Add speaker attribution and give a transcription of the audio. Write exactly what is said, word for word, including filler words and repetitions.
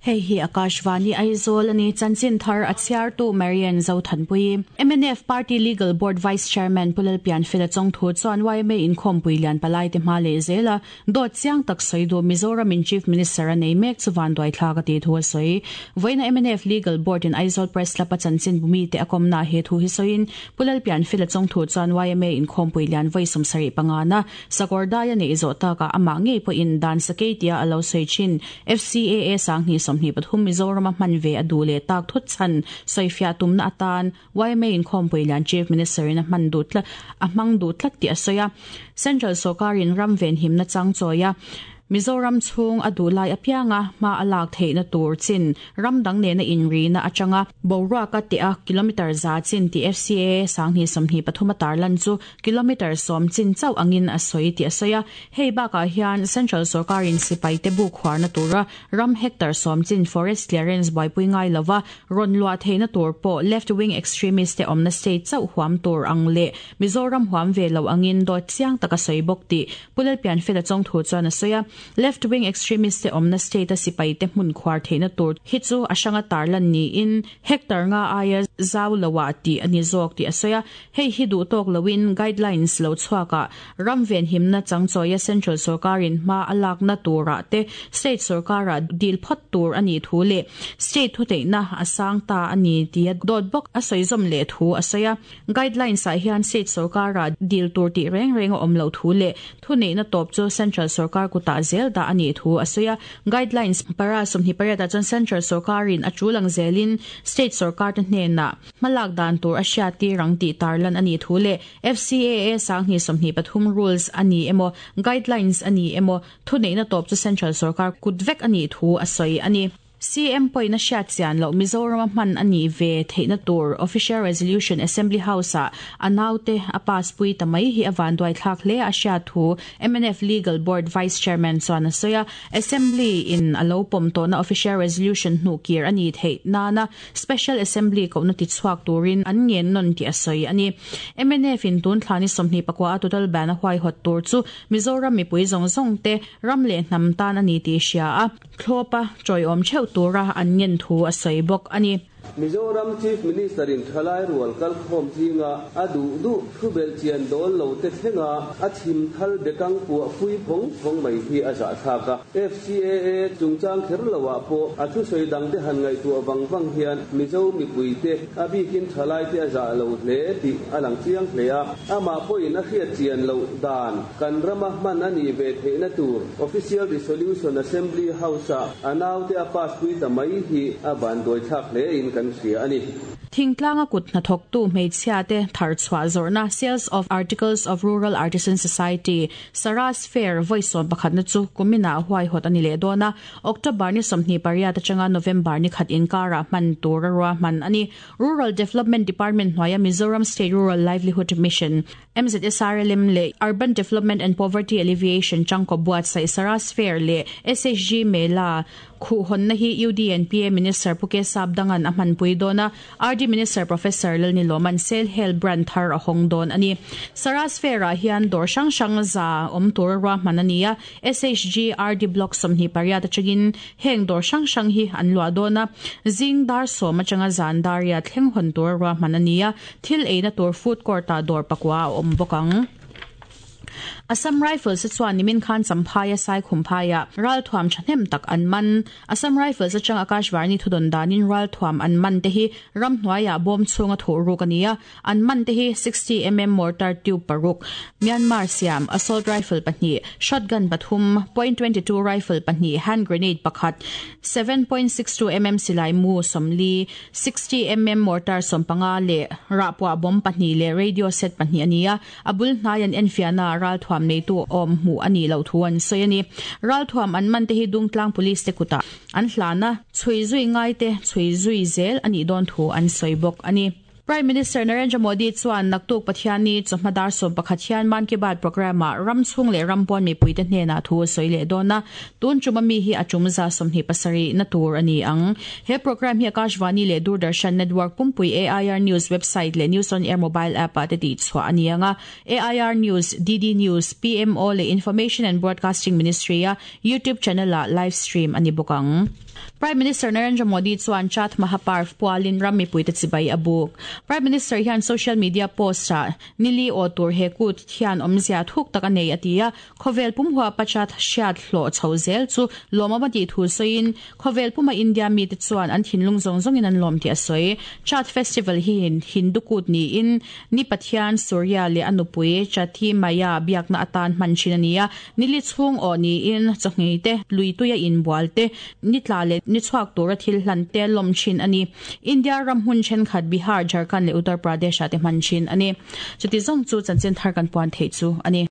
Speaker 1: Hei hi Akashvani Aizawl ani chanchin thar a chhiartu Marian Zothanpui. M N F Party Legal Board Vice Chairman Pu Lalpianfela Chongthu chuan Y M A inkhawmpui lian palai te hma leh zela dawt chiang tak sawi duh Mizoram in Chief Minister a nei mek chu vanduai thlak a tih thu a sawi. Vawiina M N F Legal Board in Aizawl Press Club a chanchin bumi te a kawmna he thu hi sawiin Pu Lalpianfela Chongthu chuan Y M A inkhawmpui lian vawi sawmsarih pangana Sakawrdai a neih zawh takah amah ngei pawhin dan sakei tia a lo sawi thin F C A A sanghnih sawmhnih pathum Mizoram a hman ve a duh leh tak thut chhan sawifiah tumna atan Y M A inkhawmpui lian Chief Minister in a hman duh tlat a hmang duh tlat tih a sawi a. Central sawrkarin ram venhimna chang chawia Mizoram chhung a duh lai apianga hma a lak theihna tur chin ram dang nena inrina atanga boruaka te a kilometer za chin ti F C A sanghnih sawmhnih pathum a tarlan chu kilometer sawm chin chauh angin a sawi tih a sawi a. Hei bakah hian Central sawrkarin sipai te bu khuarna tura ram hectare sawm chin forest clearance buaipui ngai lova rawn luah theihna tur pawh left wing extremist te awmna state chauh huam tur ang leh Mizoram huam ve lo angin dawt chiang taka sawi bawk tih Pu Lalpianfela Chongthu chuan a sawi a. Left wing extremist te awmna state a sipai te hmun khuar theihna tur hi chu a hranga tarlan niin hectare nga aia zau loah tih ani zawk tih a sawi a. Hei hi duh tawk loin guidelines lo chhuaka ram venhimna changchawia Central sawrkarin hma a lakna turah te state sawrkara dil phawt tur ani thu leh state thu theihna a sang ta ani tia dawt bawk a sawi zawm leh thu a sawi a. Guidelines ah hian state sawrkara dil tur tih reng reng a awm lo thu leh thu neihna tawp chu Central sawrkar kutah zel dah ani thu a sawi a. Guidelines para sawmhnih pariat ah chuan Central sawrkarin a tulang zelin state sawrkar te hnenah hmalak dan tur a hriat tir ang tih tarlan ani thu leh F C A A sanghnih sawmhnih pathum rules ani emaw guidelines ani emaw thu neihna tawp chu Central sawrkar kut vek ani thu a sawi ani. C M poina hriat chian lo Mizoram a hman ani ve theihna tur official resolution Assembly House a anaute a pass pui tamai hi awan duai thlak hle a hriat thu M N F Legal Board Vice Chairman chuan a sawi a. Assembly in alo pawm tawhna official resolution hnu kir ani theih nana Special Assembly kohna ti chhuak turin an ngen non ti a sawi ani. M N F in tun thlani sawmhnih pakua a total ban a huai hot tur chu Mizoram mipui zawng zawng te ram leh hnam tan ani ti hria a thlopa chawiawm theuh tura an ngen thu a sawi bawk ani.
Speaker 2: Mizoram Chief Minister in thalai rual kal khawm zinga a duh duh thubel chian dawl lo te thlenga a chim thal bekang puah pui phawng phawng mai hi a zah thlak a. F C A A chungchang kher loah pawh a thu sawi dang te han ngaihtuah wang wang hian Mizo mipui te a bikin thalai te a zah lo hle tih a lang chiang hle a. Amah pawhin a hriat chian loh dan kan rama hman ani ve theihna tur official resolution Assembly House a anaute a pass pui ta mai hi a van duai thlak hle in kan hria ani.
Speaker 1: Thingtlanga kut hnathawk tu hmeichhia te thar chhuah zawrhna, Sales of Articles of Rural Artisan Society, Saras Fair vawi sawm pakhatna chu kumina huai hot ani leh dawn a. October ni sawmhnih pariat atanga November ni khat inkara hman tur a ruah hman ani. Rural Development Department hnuaia Mizoram State Rural Livelihood Mission, M Z S R L M leh Urban Development and Poverty Alleviation changko buatsaih Saras Fair leh S H G Mela khu honna hi U D N P A Minister Pu K Sapdangan a hmanpui dawn a. R D Minister Professor Lalniloman Sel Hel brand thar a hawng dawn ani. Saras Fair ah hian dawr hrang hrang za awm tur ruah hman ani a. S H G R D Block sawmhnih pariat atangin heng dawr hrang hrang hi an luah dawn a. Zing dar sawm atanga zan daria thleng hawn tur ruah hman ani a. Thil eina tur food court ah dawr pakua a awm bawk ang. Assam Rifles chuan nimin khan Champhai sai khumphaya ral thuam thahnem tak an man. Assam Rifles atang Akashvani thudon danin ral thuam an man te hi ram hnuaia bom chunga thu ruk ania. An man te hi sixty millimeter mortar tube paruk, Myanmar siam assault rifle pahnih, shotgun pathum, point twenty-two rifle pahnih, hand grenade pakhat, seven point six two millimeter silai mu somli, sixty millimeter mortar sompanga le rapwa bom pahnih le radio set pahnih ania. Abul hnayan enfiana ral thuam nei tu awm hmu ani lo thu an sawi ani. Ral thuam an man te hi Dungtlang Police te kuta an hlana chhui zui ngai te chhui zui zel ani dawn thu an sawi bawk ani. Prime Minister Narendra Modi chuan naktuk Pathiani chawhma dar sawm pakhat hian Man Ki Baat program ah ram chhung leh ram pawn mipui te hnenah thu a sawi leh dawn a. Tun tum ami hi a tum za sawmhnih pasarih na tur ani ang. He program hi Akashvani leh Doordarshan Network pumpui, A I R News website leh News on Air mobile app ah te tih chhuah ani anga. A I R News, D D News, P M O leh Information and Broadcasting Ministry a YouTube channel ah live stream ani bawk ang. Prime Minister Narendra Modi chuan Chhath Mahaparv pualin ram mipuite chibai a buk. Prime Minister hian social media post ah nili aw tur he kut hian awmzia thuk tak a nei a ti a, khawvel pum huapa Chhath hriat hlawh chho zel chu lawmawm a tih thu sawiin khawvel puma India mite chuan an thinlung zawng zawngin an lawm tih a sawi. Chhath festival hi Hindu kut niin ni Pathian Surya leh a nupui Chhathi Maiya biakna atan hman thin a ni a, nili chhung aw niin chawhngei te, luituia inbual te, ni tla leh ni chhuak tura thil hlan te lawm thin a ni. India ram hmun thenkhat Bihar, Jharkhand leh Uttar Pradesh ah te hman thin a ni. Chuti zawng chu chanchin thar kan puan theih chu a ni.